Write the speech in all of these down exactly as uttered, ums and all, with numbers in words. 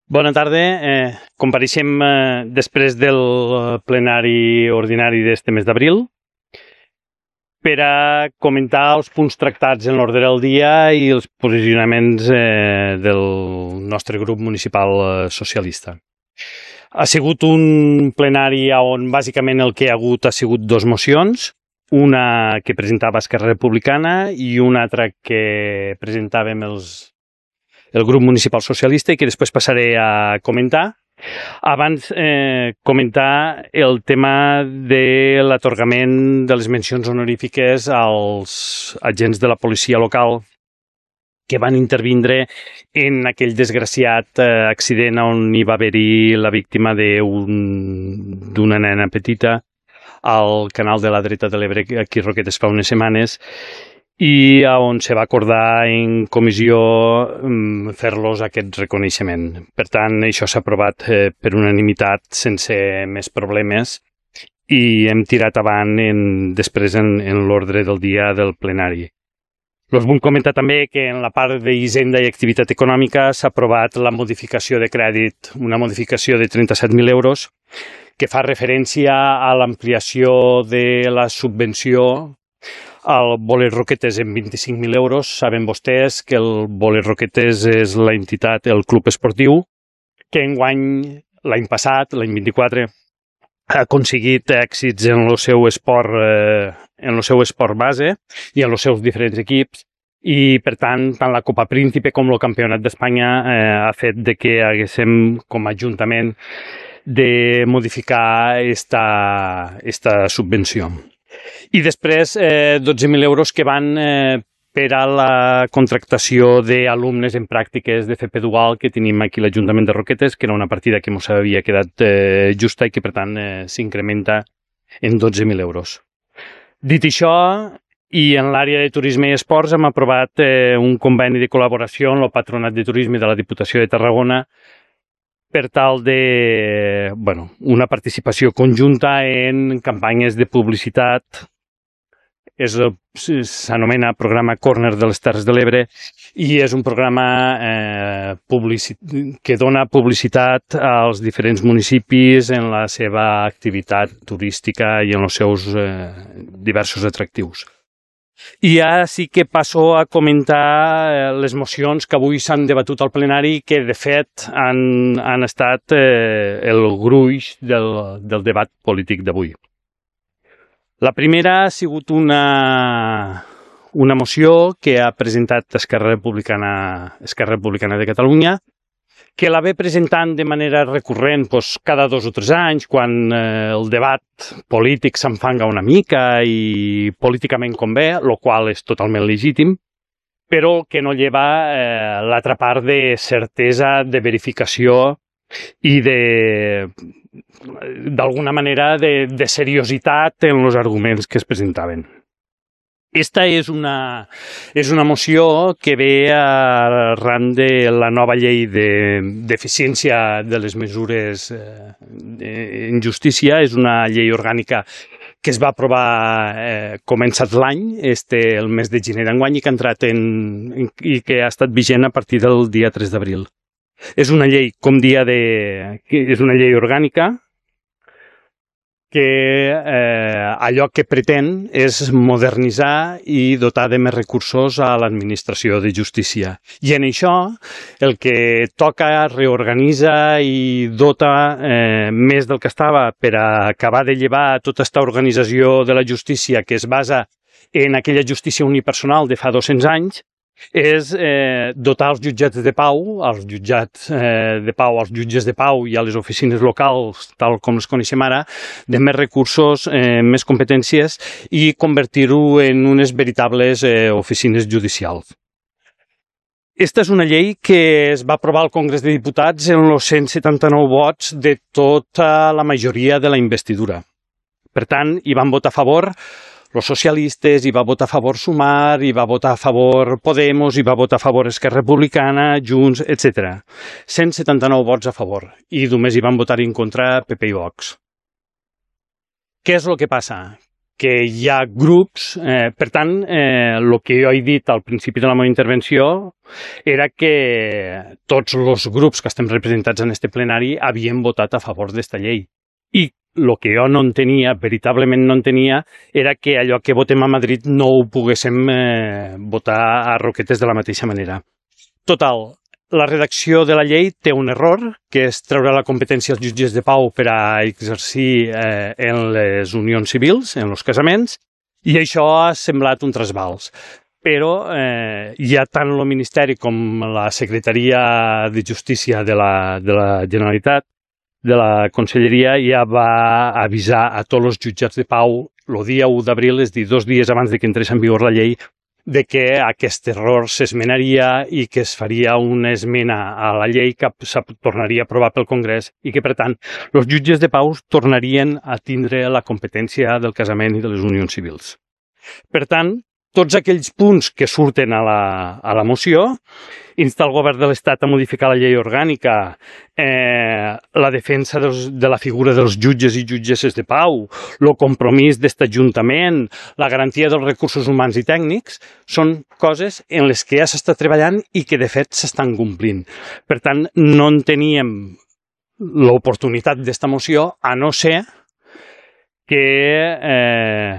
Bona tarda. Eh, compareixem eh, després del plenari ordinari d'este mes d'abril per a comentar els punts tractats en l'ordre del dia i els posicionaments eh, del nostre grup municipal eh, socialista. Ha sigut un plenari on bàsicament el que hi ha hagut ha sigut dos mocions, una que presentava Esquerra Republicana i una altra que presentàvem els el grup municipal socialista i que després passaré a comentar. Abans, eh, comentar el tema de l'atorgament de les mencions honorífiques als agents de la policia local que van intervindre en aquell desgraciat eh, accident on hi va haver-hi la víctima d'una nena petita al canal de la dreta de l'Ebre, aquí a Roquetes, fa unes setmanes, i on se va acordar en comissió fer-los aquest reconeixement. Per tant, això s'ha aprovat eh, per unanimitat sense més problemes i hem tirat avant en, després en, en l'ordre del dia del plenari. Us vull comentar també que en la part d'Hisenda i Activitat Econòmica s'ha aprovat la modificació de crèdit, una modificació de trenta-set mil euros, que fa referència a l'ampliació de la subvenció al Bolet Roquetes en vint-i-cinc mil euros. Saben vostès que el Bolet Roquetes és l'entitat, el club esportiu, que enguany, l'any passat, l'any vint-i-quatre, ha aconseguit èxits en el seu esport, eh, en el seu esport base i en els seus diferents equips. I, per tant, tant la Copa Príncipe com el Campionat d'Espanya eh, ha fet de que haguéssim, com a Ajuntament, de modificar esta, esta subvenció. I després, eh, dotze mil euros que van eh, per a la contractació d'alumnes en pràctiques de F P dual que tenim aquí a l'Ajuntament de Roquetes, que era una partida que ens havia quedat eh, justa i que, per tant, eh, s'incrementa en dotze mil euros. Dit això, i en l'àrea de turisme i esports hem aprovat eh, un conveni de col·laboració amb el Patronat de Turisme de la Diputació de Tarragona per tal de, bueno, una participació conjunta en campanyes de publicitat. S'anomena programa Corner de les Terres de l'Ebre i és un programa eh, que dona publicitat als diferents municipis en la seva activitat turística i en els seus eh, diversos atractius. I ara sí que passo a comentar les mocions que avui s'han debatut al plenari, que de fet han, han estat eh, el gruix del, del debat polític d'avui. La primera ha sigut una, una moció que ha presentat Esquerra Republicana, Esquerra Republicana de Catalunya, que la ve presentant de manera recurrent doncs, cada dos o tres anys, quan eh, el debat polític s'enfanga una mica i políticament convé, el qual és totalment legítim, però que no lleva eh, l'altra part de certesa, de verificació i de, d'alguna manera, de, de seriositat en els arguments que es presentaven. Esta és una, és una moció que ve arran de la nova llei d'eficiència de, de les mesures eh, en justícia. És una llei orgànica que es va aprovar eh, començat l'any, este, el mes de gener d'enguany, i que ha entrat en, en, i que ha estat vigent a partir del dia tres d'abril. És una llei, com dia de... és una llei orgànica que eh, allò que pretén és modernitzar i dotar de més recursos a l'administració de justícia. I en això el que toca reorganitza i dota eh, més del que estava per a acabar de llevar tota aquesta organització de la justícia que es basa en aquella justícia unipersonal de fa dos-cents anys, és eh, dotar els jutjats de pau, els jutjats eh, de pau, als jutges de pau i a les oficines locals, tal com les coneixem ara, de més recursos, eh, més competències i convertir-ho en unes veritables eh, oficines judicials. Esta és una llei que es va aprovar al Congrés de Diputats en els cent setanta-nou vots de tota la majoria de la investidura. Per tant, hi van votar a favor els socialistes, hi va votar a favor Sumar, hi va votar a favor Podemos, hi va votar a favor Esquerra Republicana, Junts, etcètera. cent setanta-nou vots a favor i només hi van votar en contra P P i Vox. Què és el que passa? que hi ha grups. Eh, per tant, eh, el que jo he dit al principi de la meva intervenció era que tots els grups que estem representats en este plenari havien votat a favor d'esta llei. I el que jo no entenia, veritablement no entenia, era que allò que votem a Madrid no ho poguéssim eh, votar a Roquetes de la mateixa manera. Total, la redacció de la llei té un error, que és treure la competència als jutges de pau per a exercir eh, en les unions civils, en els casaments, i això ha semblat un trasbals. Però eh, ja tant el Ministeri com la Secretaria de Justícia de la, de la Generalitat, de la Conselleria, ja va avisar a tots els jutjats de pau el dia u d'abril, és a dir, dos dies abans de que entrés en vigor la llei, de que aquest error s'esmenaria i que es faria una esmena a la llei que se tornaria a aprovar pel Congrés i que, per tant, els jutges de pau tornarien a tindre la competència del casament i de les unions civils. Per tant, tots aquells punts que surten a la, a la moció, insta el govern de l'Estat a modificar la llei orgànica, eh, la defensa dels, de la figura dels jutges i jutgesses de pau, el compromís d'aquest ajuntament, la garantia dels recursos humans i tècnics, són coses en les que ja s'està treballant i que de fet s'estan complint. Per tant, no en teníem l'oportunitat d'esta moció, a no ser que eh,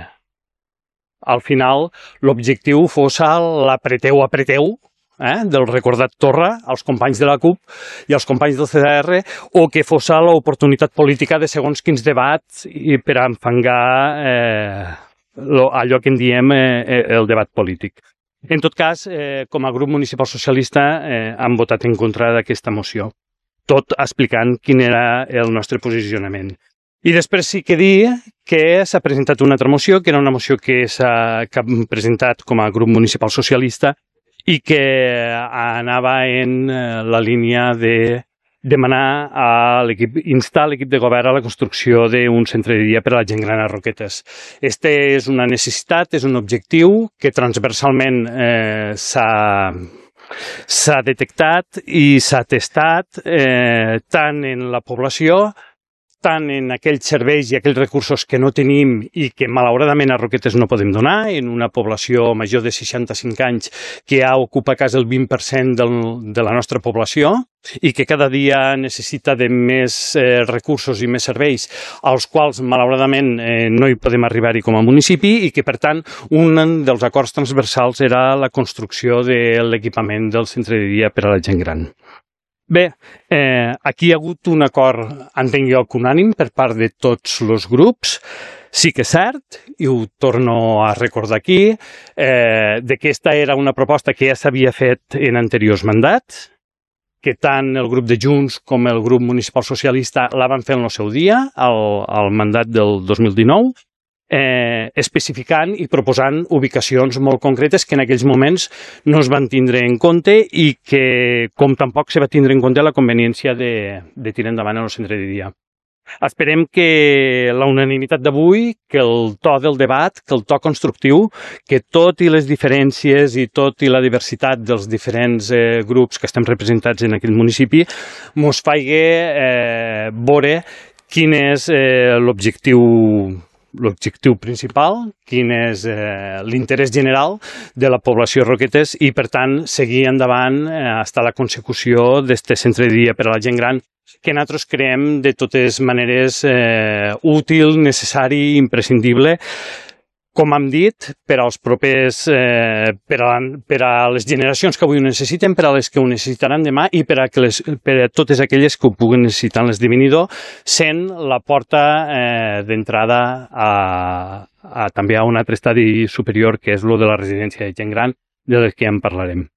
al final l'objectiu fos l'apreteu, apreteu, eh, del recordat Torra, als companys de la CUP i als companys del C D R, o que fos l'oportunitat política de segons quins debats i per a enfangar eh, lo, allò que en diem eh, el debat polític. En tot cas, eh, com a grup municipal socialista eh, han votat en contra d'aquesta moció, tot explicant quin era el nostre posicionament. I després sí que dir que s'ha presentat una altra moció, que era una moció que s'ha presentat com a grup municipal socialista i que anava en la línia de demanar a l'equip, instar l'equip de govern a la construcció d'un centre de dia per a la gent gran a Roquetes. Este és una necessitat, és un objectiu que transversalment eh, s'ha s'ha detectat i s'ha testat eh, tant en la població, tant en aquells serveis i aquells recursos que no tenim i que malauradament a Roquetes no podem donar, en una població major de seixanta-cinc anys que ja ocupa quasi el vint per cent del, de la nostra població i que cada dia necessita de més eh, recursos i més serveis, als quals malauradament eh, no hi podem arribar-hi com a municipi i que, per tant, un dels acords transversals era la construcció de l'equipament del centre de dia per a la gent gran. Bé, eh, aquí hi ha hagut un acord, entenc jo, unànim per part de tots els grups. Sí que és cert, i ho torno a recordar aquí, eh, de que aquesta era una proposta que ja s'havia fet en anteriors mandats, que tant el grup de Junts com el grup municipal socialista la van fer en el seu dia, al, al mandat del dos mil dinou, Eh, especificant i proposant ubicacions molt concretes que en aquells moments no es van tindre en compte i que, com tampoc se va tindre en compte la conveniència de, de tirar endavant el centre de dia. Esperem que la unanimitat d'avui, que el to del debat, que el to constructiu, que tot i les diferències i tot i la diversitat dels diferents eh, grups que estem representats en aquest municipi, mos faci eh, veure quin és eh, l'objectiu l'objectiu principal, quin és eh, l'interès general de la població Roquetes i, per tant, seguir endavant eh, fins a la consecució d'aquest centre de dia per a la gent gran, que nosaltres creiem de totes maneres eh, útil, necessari i imprescindible, com hem dit, per als propers, eh, per, a, per a les generacions que avui ho necessiten, per a les que ho necessitaran demà i per a, que les, per a totes aquelles que ho puguen necessitar en l'esdevenidor, sent la porta eh, d'entrada a, a, també a un altre estadi superior, que és el de la residència de gent gran, de les que ja en parlarem.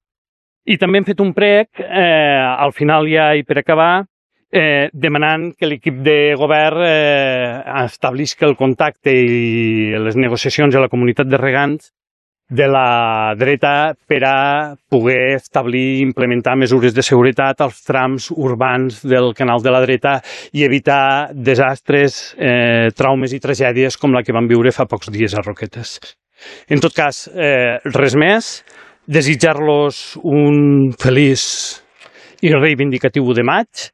I també hem fet un prec, eh, al final ja i per acabar, Eh, demanant que l'equip de govern eh, establisca el contacte i les negociacions a la comunitat de regants de la dreta per a poder establir i implementar mesures de seguretat als trams urbans del canal de la dreta i evitar desastres, eh, traumes i tragèdies com la que vam viure fa pocs dies a Roquetes. En tot cas, eh, res més, desitjar-los un feliç i reivindicatiu de maig,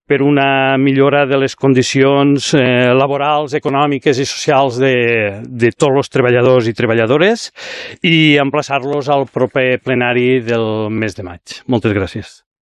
per una millora de les condicions eh, laborals, econòmiques i socials de, de tots els treballadors i treballadores i emplaçar-los al proper plenari del mes de maig. Moltes gràcies.